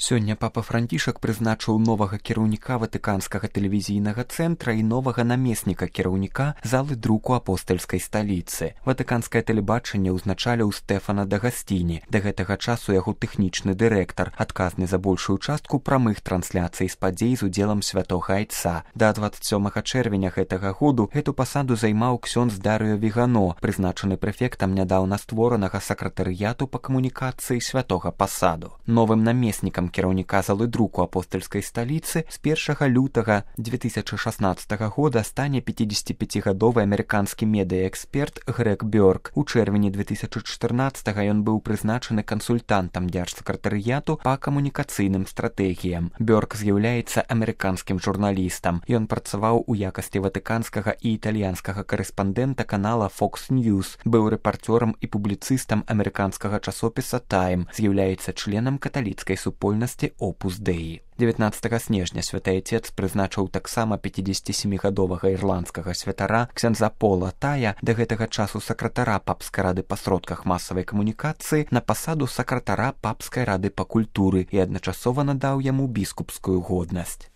Сёння папа Францішак прызначыў новага кіраўніка ватыканскага тэлевізійнага цэнтра і новага намесніка кіраўніка залы друку апостальскай сталіцы. Ватыканскае тэлебачанне ўзначаліў Стэфана Дагасціні, да гэтага часу яго тэхнічны дырэктар, адказны за большую частку прамых трансляцый з падзей з удзелам святога айца. Да 27 чэрвеня гэтага году гэту пасаду займаў ксёндз Дарыё Вігано, прызначаны прэфектам нядаўна створанага сакратарыяту па камунікацыі святога пасаду. Новым намеснікам кіраўніка залы друку апостальскай сталіцы з 1 лютага 2016 года стане 55-гадовы амерыканскі медыяэксперт Грег Бёрк. У чэрвені 2014 ён быў прызначаны кансультантам дзяржсакратарыяту па камунікацыйным стратэгіям. Бёрк з'яўляецца амерыканскім журналістам. Ён працаваў у якасці ватыканскага і італьянскага карэспандэнта канала Fox News, быў рэпарцёрам і публіцыстам амерыканскага часопіса Time, з'яўляецца членам каталіцкай супольнасці Opus Dei. 19 снежня святы айцец прызначыў таксама 57-гадовага ірландскага святара ксяндза Пола Тая, да гэтага часу сакратара папскай рады па сродках масавай камунікацыі, на пасаду сакратара папскай рады па культуры і адначасова надаў яму біскупскую годнасць.